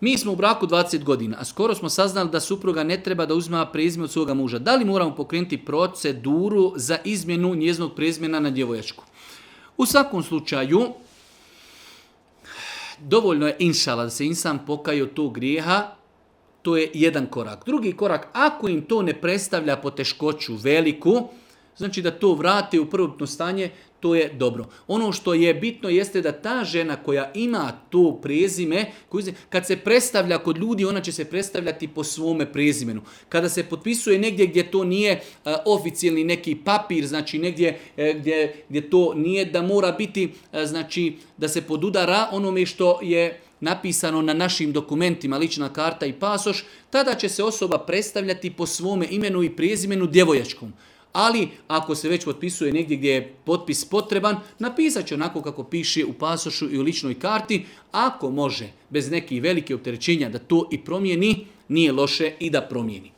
Mi smo u braku 20 godina, a skoro smo saznali da supruga ne treba da uzima prezime od svoga muža. Da li moramo pokrenuti proceduru za izmjenu njezinog prezimena na djevojačku? U svakom slučaju, dovoljno je inšala da se insan pokaje od tog grijeha, to je jedan korak. Drugi korak, ako im to ne predstavlja poteškoću veliku, znači da to vrati u prvotno stanje, to je dobro. Ono što je bitno jeste da ta žena koja ima to prezime, kad se predstavlja kod ljudi, ona će se predstavljati po svome prezimenu. Kada se potpisuje negdje gdje to nije oficijalni neki papir, znači negdje gdje to nije da mora biti, znači da se podudara onome što je napisano na našim dokumentima, lična karta i pasoš, tada će se osoba predstavljati po svome imenu i prezimenu djevojačkom. Ali ako se već potpisuje negdje gdje je potpis potreban, napisat će onako kako piše u pasošu i u ličnoj karti. Ako može, bez nekih velikih opterećenja da to i promijeni, nije loše i da promijeni.